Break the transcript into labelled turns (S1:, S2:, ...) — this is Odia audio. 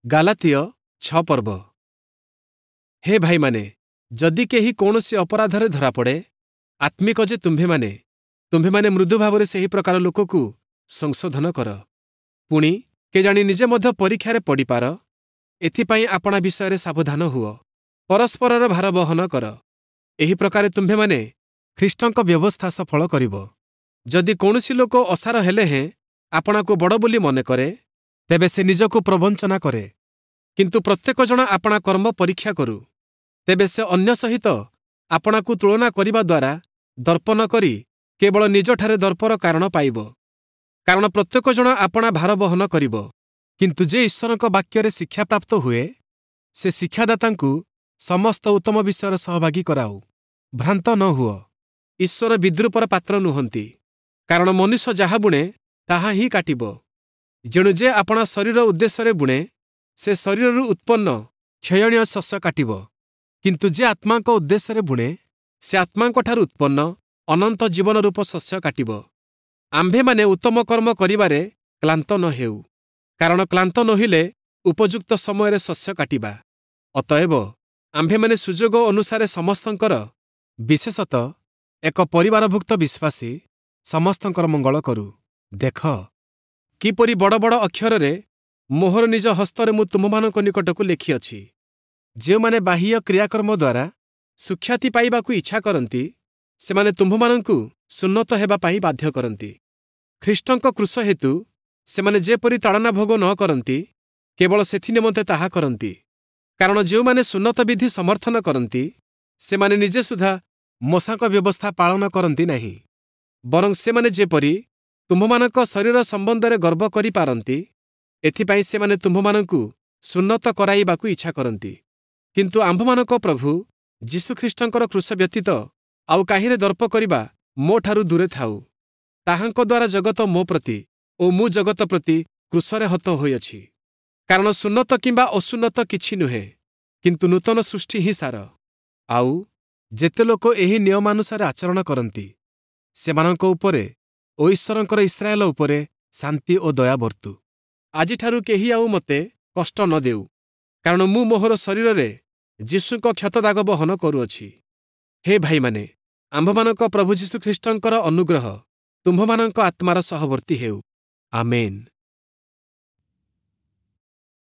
S1: ଗାଲାତୀୟ 6 ପର୍ବ। ହେ ଭାଇମାନେ, ଯଦି କେହି କୌଣସି ଅପରାଧରେ ଧରାପଡ଼େ, ଆତ୍ମିକ ଯେ ତୁମ୍ଭେମାନେ, ତୁମ୍ଭେମାନେ ମୃଦୁ ଭାବରେ ସେହି ପ୍ରକାର ଲୋକକୁ ସଂଶୋଧନ କର। ପୁଣି କେଜାଣି ନିଜେ ମଧ୍ୟ ପରୀକ୍ଷାରେ ପଡ଼ିପାର, ଏଥିପାଇଁ ଆପଣା ବିଷୟରେ ସାବଧାନ ହୁଅ। ପରସ୍ପରର ଭାର ବହନ କର, ଏହି ପ୍ରକାରେ ତୁମ୍ଭେମାନେ ଖ୍ରୀଷ୍ଟଙ୍କ ବ୍ୟବସ୍ଥା ସଫଳ କରିବ। ଯଦି କୌଣସି ଲୋକ ଅସାର ହେଲେ ହେଁ ଆପଣାକୁ ବଡ଼ ବୋଲି ମନେ କରେ, ତେବେ ସେ ନିଜକୁ ପ୍ରବଞ୍ଚନା କରେ। କିନ୍ତୁ ପ୍ରତ୍ୟେକ ଜଣ ଆପଣା କର୍ମ ପରୀକ୍ଷା କରୁ, ତେବେ ସେ ଅନ୍ୟ ସହିତ ଆପଣାକୁ ତୁଳନା କରିବା ଦ୍ୱାରା ଦର୍ପ ନ କରି କେବଳ ନିଜଠାରେ ଦର୍ପର କାରଣ ପାଇବ। କାରଣ ପ୍ରତ୍ୟେକ ଜଣ ଆପଣା ଭାର ବହନ କରିବ। କିନ୍ତୁ ଯେ ଈଶ୍ୱରଙ୍କ ବାକ୍ୟରେ ଶିକ୍ଷାପ୍ରାପ୍ତ ହୁଏ, ସେ ଶିକ୍ଷାଦାତାଙ୍କୁ ସମସ୍ତ ଉତ୍ତମ ବିଷୟର ସହଭାଗୀ କରାଉ। ଭ୍ରାନ୍ତ ନ ହୁଅ, ଈଶ୍ୱର ବିଦ୍ରୂପର ପାତ୍ର ନୁହନ୍ତି। କାରଣ ମନୁଷ୍ୟ ଯାହା ବୁଣେ, ତାହା ହିଁ କାଟିବ। ଯେଣୁ ଯେ ଆପଣା ଶରୀର ଉଦ୍ଦେଶ୍ୟରେ ବୁଣେ, ସେ ଶରୀରରୁ ଉତ୍ପନ୍ନ କ୍ଷୟଣୀୟ ଶସ୍ୟ କାଟିବ। କିନ୍ତୁ ଯେ ଆତ୍ମାଙ୍କ ଉଦ୍ଦେଶ୍ୟରେ ବୁଣେ, ସେ ଆତ୍ମାଙ୍କଠାରୁ ଉତ୍ପନ୍ନ ଅନନ୍ତ ଜୀବନ ରୂପ ଶସ୍ୟ କାଟିବ। ଆମ୍ଭେମାନେ ଉତ୍ତମ କର୍ମ କରିବାରେ କ୍ଳାନ୍ତ ନ ହେଉ, କାରଣ କ୍ଳାନ୍ତ ନୋହିଲେ ଉପଯୁକ୍ତ ସମୟରେ ଶସ୍ୟ କାଟିବା। ଅତଏବ ଆମ୍ଭେମାନେ ସୁଯୋଗ ଅନୁସାରେ ସମସ୍ତଙ୍କର, ବିଶେଷତଃ ଏକ ପରିବାରଭୁକ୍ତ ବିଶ୍ୱାସୀ ସମସ୍ତଙ୍କର ମଙ୍ଗଳ କରୁ। ଦେଖ, କିପରି ବଡ଼ ବଡ଼ ଅକ୍ଷରରେ ମୋହର ନିଜ ହସ୍ତରେ ମୁଁ ତୁମ୍ଭମାନଙ୍କ ନିକଟକୁ ଲେଖିଅଛି। ଯେଉଁମାନେ ବାହ୍ୟ କ୍ରିୟାକର୍ମ ଦ୍ୱାରା ସୁଖ୍ୟାତି ପାଇବାକୁ ଇଚ୍ଛା କରନ୍ତି, ସେମାନେ ତୁମ୍ଭମାନଙ୍କୁ ସୁନ୍ନତ ହେବା ପାଇଁ ବାଧ୍ୟ କରନ୍ତି। ଖ୍ରୀଷ୍ଟଙ୍କ କ୍ରୁଶ ହେତୁ ସେମାନେ ଯେପରି ତାଡ଼ନା ଭୋଗ ନ କରନ୍ତି, କେବଳ ସେଥି ନିମନ୍ତେ ତାହା କରନ୍ତି। କାରଣ ଯେଉଁମାନେ ସୁନ୍ନତ ବିଧି ସମର୍ଥନ କରନ୍ତି, ସେମାନେ ନିଜେ ସୁଦ୍ଧା ମୋଶାଙ୍କ ବ୍ୟବସ୍ଥା ପାଳନ କରନ୍ତି ନାହିଁ। ବରଂ ସେମାନେ ଯେପରି ତୁମ୍ଭମାନଙ୍କ ଶରୀର ସମ୍ବନ୍ଧରେ ଗର୍ବ କରିପାରନ୍ତି, ଏଥିପାଇଁ ସେମାନେ ତୁମ୍ଭମାନଙ୍କୁ ସୁନ୍ନତ କରାଇବାକୁ ଇଚ୍ଛା କରନ୍ତି। କିନ୍ତୁ ଆମ୍ଭମାନଙ୍କ ପ୍ରଭୁ ଯୀଶୁଖ୍ରୀଷ୍ଟଙ୍କର କ୍ରୁଶ ବ୍ୟତୀତ ଆଉ କାହିଁରେ ଦର୍ପ କରିବା ମୋଠାରୁ ଦୂରେ ଥାଉ। ତାହାଙ୍କ ଦ୍ୱାରା ଜଗତ ମୋ ପ୍ରତି ଓ ମୁଁ ଜଗତ ପ୍ରତି କ୍ରୁଶରେ ହତ ହୋଇଅଛି। କାରଣ ସୁନ୍ନତ କିମ୍ବା ଅସୁନ୍ନତ କିଛି ନୁହେଁ, କିନ୍ତୁ ନୂତନ ସୃଷ୍ଟି ହିଁ ସାର। ଆଉ ଯେତେ ଲୋକ ଏହି ନିୟମାନୁସାରେ ଆଚରଣ କରନ୍ତି, ସେମାନଙ୍କ ଉପରେ ଓ ଈଶ୍ୱରଙ୍କର ଇସ୍ରାଏଲ ଉପରେ ଶାନ୍ତି ଓ ଦୟା ବର୍ତ୍ତୁ। ଆଜିଠାରୁ କେହି ଆଉ ମୋତେ କଷ୍ଟ ନ ଦେଉ, କାରଣ ମୁଁ ମୋହର ଶରୀରରେ ଯୀଶୁଙ୍କ କ୍ଷତଦାଗ ବହନ କରୁଅଛି। ହେ ଭାଇମାନେ, ଆମ୍ଭମାନଙ୍କ ପ୍ରଭୁ ଯୀଶୁଖ୍ରୀଷ୍ଟଙ୍କର ଅନୁଗ୍ରହ ତୁମ୍ଭମାନଙ୍କ ଆତ୍ମାର ସହବର୍ତ୍ତୀ ହେଉ। ଆମେନ୍।